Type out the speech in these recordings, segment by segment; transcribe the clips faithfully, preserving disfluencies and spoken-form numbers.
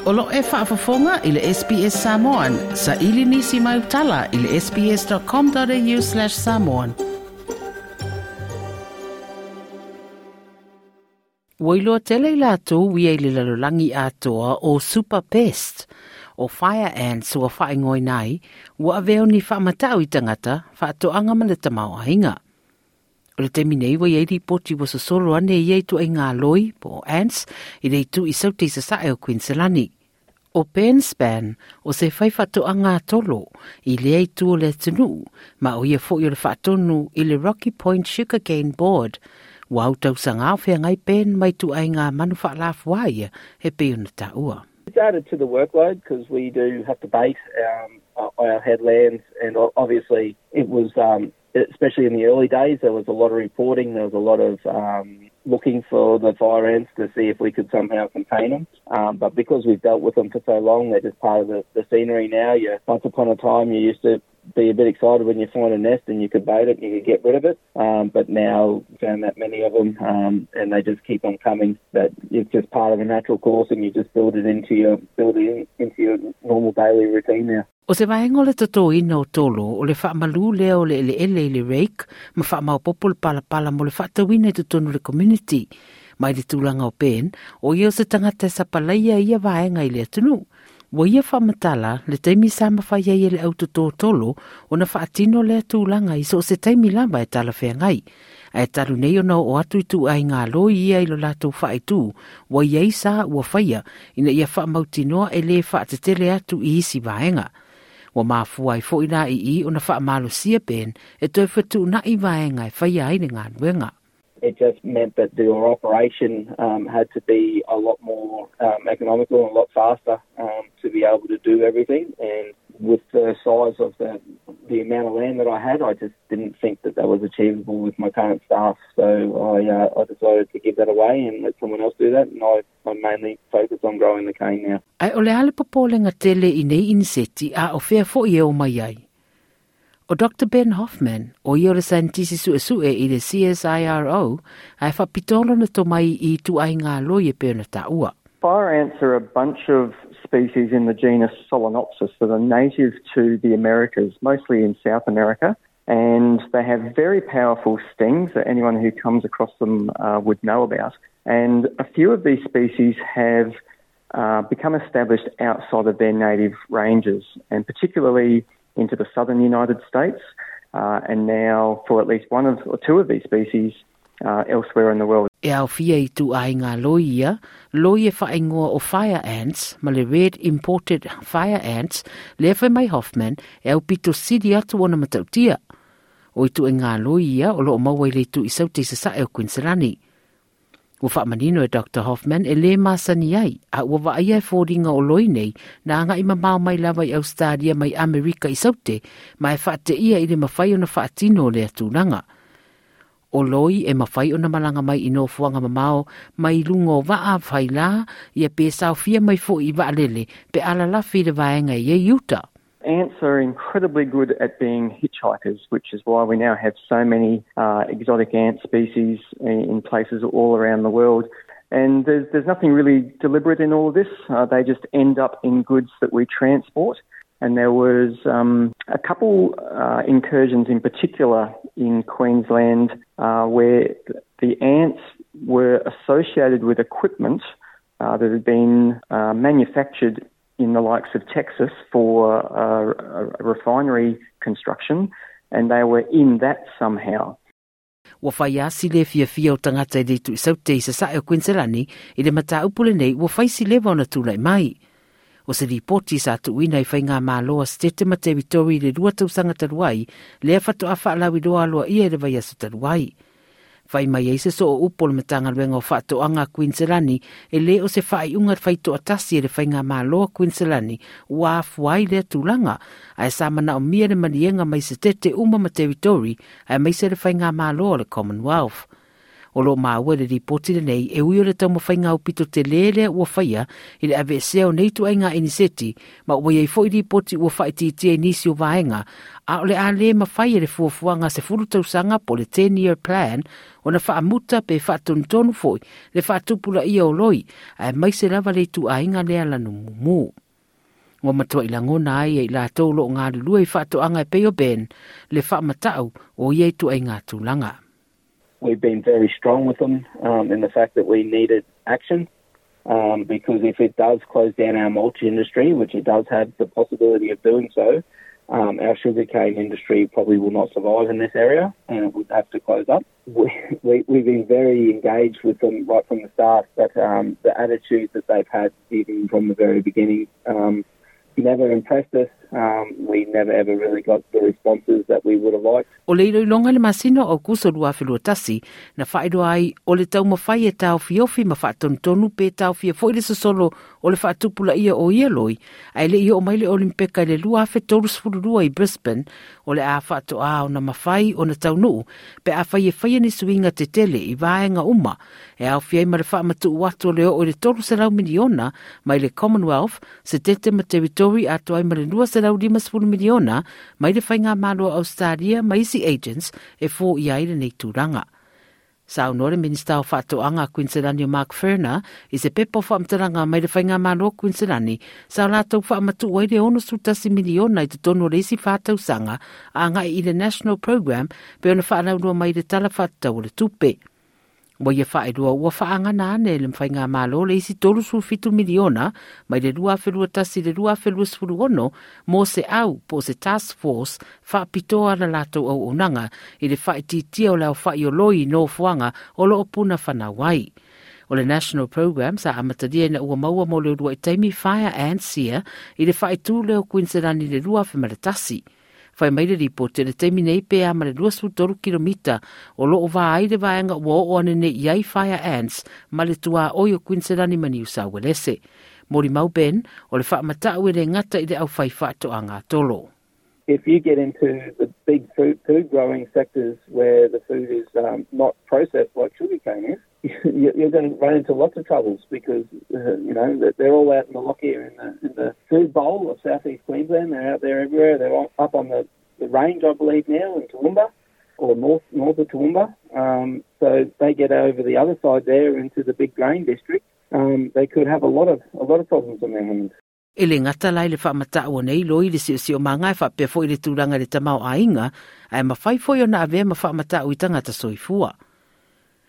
O lo e faafofoga i le S B S Samoan, sa ili nisi mai utala i le S B S dot com dot A U slash samoan. Ua iloa tele i latou ia i le lalolagi atoa o super pest, o fire ants ua faaigoaina ai, ua avea o ni faamatau i tagata, faatoaga ma le tamaoaiga. O le taimi nei ua iai lipoti ua sosolo ane ia ituaiga loi po o ants i le itu i saute i sasae o Queensland. O Ben Span o se fai faatoaga tolo i lea itu o le atunuu, ma o ia foi o le faatonu i le Rocky Point Sugarcane Board. Ua au tausaga o feagai Ben ma ituaiga manu faalafuā ia e pei ona taua. It's added to the workload because we do have to bait um, our headlands, and obviously it was, um, especially in the early days, there was a lot of reporting, there was a lot of um, looking for the fire ants to see if we could somehow contain them. Um, but because we've dealt with them for so long, they're just part of the, the scenery now. You, once upon a time, you used to be a bit excited when you find a nest and you could bait it and you could get rid of it. Um, but now found that many of them, um, and they just keep on coming. That it's just part of the natural course, and you just build it into your build it in, into your normal daily routine now. O se vaega o le totoina o tolo o le faamalu lea o le eleele i le rake ma faamaopopo le palapala mo le faatauina i totonu le community. Mai le tulaga o Ben, o ia o se tagata e sapalaia ia vaega i le atunuu. Ua ia faamatala le taimi sa mafai ai e le autotō tolo ona faatino lea tulaga i so o se taimi lava e talafeagai. Ae talu nei ona oo atu ituaiga loi ia i lo latou faaitu, ua iai sa ua faia ina ia faamautinoa e lē faatetele atu i isi vaega. Ua mafua ai foi la i i ona faamalosia Ben e toe fetuunai vaega e faia ai le galuega. It just meant that the operation um, had to be a lot more um, economical and a lot faster um, to be able to do everything. And with the size of the the amount of land that I had, I just didn't think that that was achievable with my current staff. So I, uh, I decided to give that away and let someone else do that. And I, I mainly focus on growing the cane now. Ae o le a le popolega tele i nei iniseti a o fea foi e o mai ai? O Doctor Ben Hoffman, o ia o le saienitisi suesue i le C S I R O, ae faapitoa lona tomai i ituaiga loi e pei ona taua. Fire ants are a bunch of species in the genus Solenopsis that are native to the Americas, mostly in South America. And they have very powerful stings that anyone who comes across them uh, would know about. And a few of these species have uh, become established outside of their native ranges, and particularly into the southern United States, uh, and now for at least one of or two of these species uh, elsewhere in the world. E aofia i ituaiga loi ia, loi e faaigoa o fire ants, ma le red imported fire ants, lea fai mai Hoffman e aupito sili atu ona matautia. O ituaiga loi ia o loo maua i le itu i saute i sasae o Queensland. Ua faamanino e Doctor Hoffman e lē masani ai, a ua vaaia e foliga o loi nei na agai mamao mai lava i Australia mai Amerika i saute, ma e faateia i le mafai ona faatino o lea tulaga. O loi e mafai ona malaga mai i nofoaga mamao mai luga o vaa failā ia pe saofia mai foi i vaalele pe alalafi i le vaega i ei uta. Ants are incredibly good at being hitchhikers, which is why we now have so many uh, exotic ant species in, in places all around the world. And there's, there's nothing really deliberate in all of this. Uh, they just end up in goods that we transport. And there was um, a couple uh, incursions in particular in Queensland uh, where the ants were associated with equipment uh, that had been uh, manufactured in the likes of Texas for uh, a refinery construction, and they were in that somehow. Ua fai asi le fiafia o tagata i le itu i saute i sasae o Queensland i le mataupu lenei ua fai si leva ona tulai mai. O se ripoti sa tuuina i faigamalo a Setete ma Teritori i le lua tausaga talu ai, lea faatoa faalauiloa aloaia i le vaiaso talu ai. Fai mai ai se soo upu o le Matagaluega o Faatoaga a Queensland e lē o se faaiuga faitoatasi e le faigamalo a Queensland ua afua ai lea tulaga, ae sa manaomia le maliega mai Setete uma ma Teritori aemaise le faigamalo o le Commonwealth. O lo maua le ripoti lenei e ui o le taumafaiga aupito tele lea ua faia i le aveesea o nei ituaiga iniseti ma ua iai foi ripoti ua faaitiitia i nisi o vaega a o le a le mafai e le fuafuaga sefulu tausaga po o le ten year plan ona faamuta pe faatonutonu foi le faatupulaia o loi aemaise lava le ituaiga lea lanumumu. Ua matuai lagona ai e i latou o loo galulue i faatoaga e pei o Ben le faamatau o ia ituaiga tulaga. We've been very strong with them um, in the fact that we needed action um, because if it does close down our mulch industry, which it does have the possibility of doing so, um, our sugarcane industry probably will not survive in this area and it would have to close up. We, we, we've been very engaged with them right from the start, but um, the attitude that they've had even from the very beginning um, never impressed us. Um, we never ever really got the responses that we would have liked. O le iloiloga i le masina o Aokuso lua afe lua tasi, na faailoa ai o le taumafai e taofiofi ma faatonutonu pe taofia foi le sosolo o le faatupulaia o ia loi, ae le'i oo mai le Olimpeka i le lua afe tolu sefulu lua i Brisbane, o le a faatoā ona mafai ona taunuu pe afai e faia ni suiga tetele i vaega uma e aofia ai ma le faamatuu atu o le oo i le tolu selau miliona mai le Commonwealth, Setete ma Territory atoa ai ma le lua selau lima sefulu miliona mai le Faigamalo o Australia ma isi agents e foia ai lenei tulaga. Saunoa le Minista o Faatoaga a Queensland o Mark Furner i se pepa o faamatalaga mai le Faigamalo o Queensland sa latou faamatuu ai le ono sefulu tasi miliona i totonu o le isi fa tausaga agai i le National Program pe ona faalauiloa mai le Tala Faatatau o le Tupe. Ua ia faailoa ua faaagana ane e le Faigamalo le isi tolu sefulu fitu miliona mai le lua afe lua tasi i le lua afe lua sefulu ono mo se au po o se task force faapitoa la latou auaunaga i le faaitiitia o le aofa'i o loi i nofoaga o loo puna fanau ai. O le National Program sa amatalia ina ua maua mo le uluai taimi fire ants ia i le faaitu lea o Queensland i le lua afe ma le tasi. Fai mai le ripoti le taimi nei pe a ma le lua sefulu tolu kilomita o loo va ai le vaega ua oo ane nei i ai fire ants ma le tuaoi o Queensland ma New South Wales. Molimau Ben o le faamatau e le gata i le aufai faatoaga tolo. If you get into the big food, food growing sectors where the food is um, not processed like sugarcane is, you're going to run into lots of troubles because, uh, you know, they're all out in the Lockyer in the, in the food bowl of southeast Queensland. They're out there everywhere. They're up on the, the range, I believe, now in Toowoomba or north, north of Toowoomba. Um, so they get over the other side there into the big grain district. Um, they could have a lot of, a lot of problems on their hands. E le gata la i le faamatau o nei loi i le siosiomaga e faapea foi i le tulaga i le tamaoaiga, ae mafai foi ona avea ma faamatau i tagata soifua.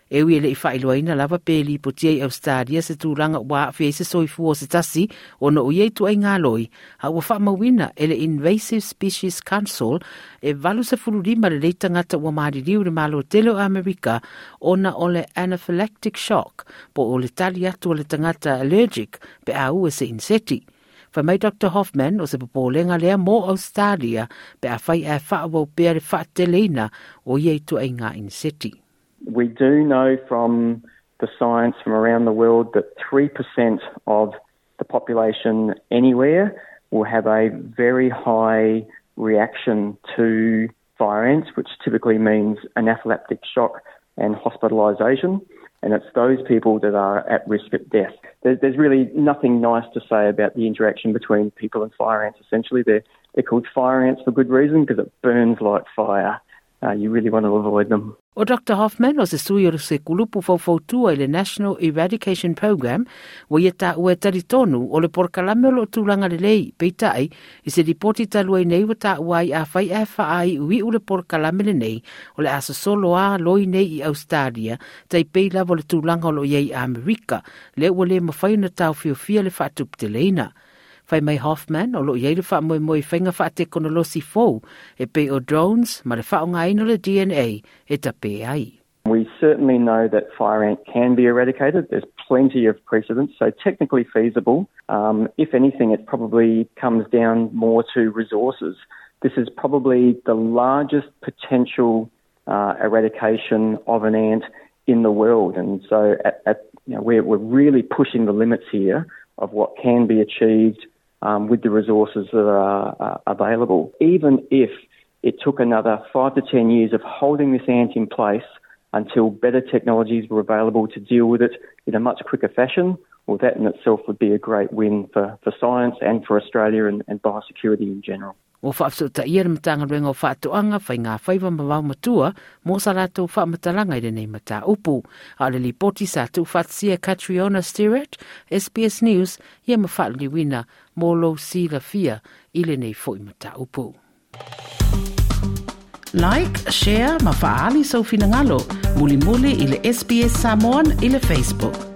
E ui e le'i faailoaina lava pe lipotia i Australia se tulaga ua aafia ai se soifua o se tasi ona o ia ituaiga loi, a ua faamauina e le Invasive Species Council e valu sefulu lima lelei tagata ua maliliu i le Malo tele o Amerika ona o le anaphylactic shock po o le tali atu a le tagata allergic pe a ua se iniseti. Fai mai Doctor Hoffman o se popolega lea mo Australia pe afai ae faaauau pea le faateleina o ia ituaiga iniseti. We do know from the science from around the world that three percent of the population anywhere will have a very high reaction to fire ants, which typically means anaphylactic shock and hospitalisation. And it's those people that are at risk of death. There, there's really nothing nice to say about the interaction between people and fire ants, essentially. They're, they're called fire ants for good reason, because it burns like fire. Uh, you really want to avoid them. O Doctor Hoffman o se sui o se kulupu faufautua i le National Eradication Program, ua ia taua e talitonu o le polokalame o loo tulaga lelei, peitai, i se ripoti talu ai nei ua taua ai afai ae faaiuiu le polokalame lenei o le a sosolo a loi nei i Australia, tai pei lava o le tulaga o loo iai i Amerika, lea ua le mafai ona taofiofia le faatuputeleina. Fai mai Hoffman o loo iai le faamoemoe i faiga faatekonolosi fou e pei o drones ma le faaaogaina o le D N A e tape ai. We certainly know that fire ant can be eradicated. There's plenty of precedents, so technically feasible. Um, if anything, it probably comes down more to resources. This is probably the largest potential, uh, eradication of an ant in the world, and so at, at, you know, we're, we're really pushing the limits here of what can be achieved, um, with the resources that are, uh, available. Even if it took another five to ten years of holding this ant in place until better technologies were available to deal with it in a much quicker fashion, well, that in itself would be a great win for, for science and for Australia and, and biosecurity in general. O whaafsutaia le Matagaluega o Faatoaga Faiga Faiva ma Vaomatua mo sa latou faamatalaga i lenei mataupu. A o le lipoti sa tuufaatasia Catriona Stirrat, S B S News, ia ma faaliliuina mo lou silafia i lenei foi mataupu. Like, share ma faaali sou finagalo. Mulimuli i le S B S Samoan i le Facebook.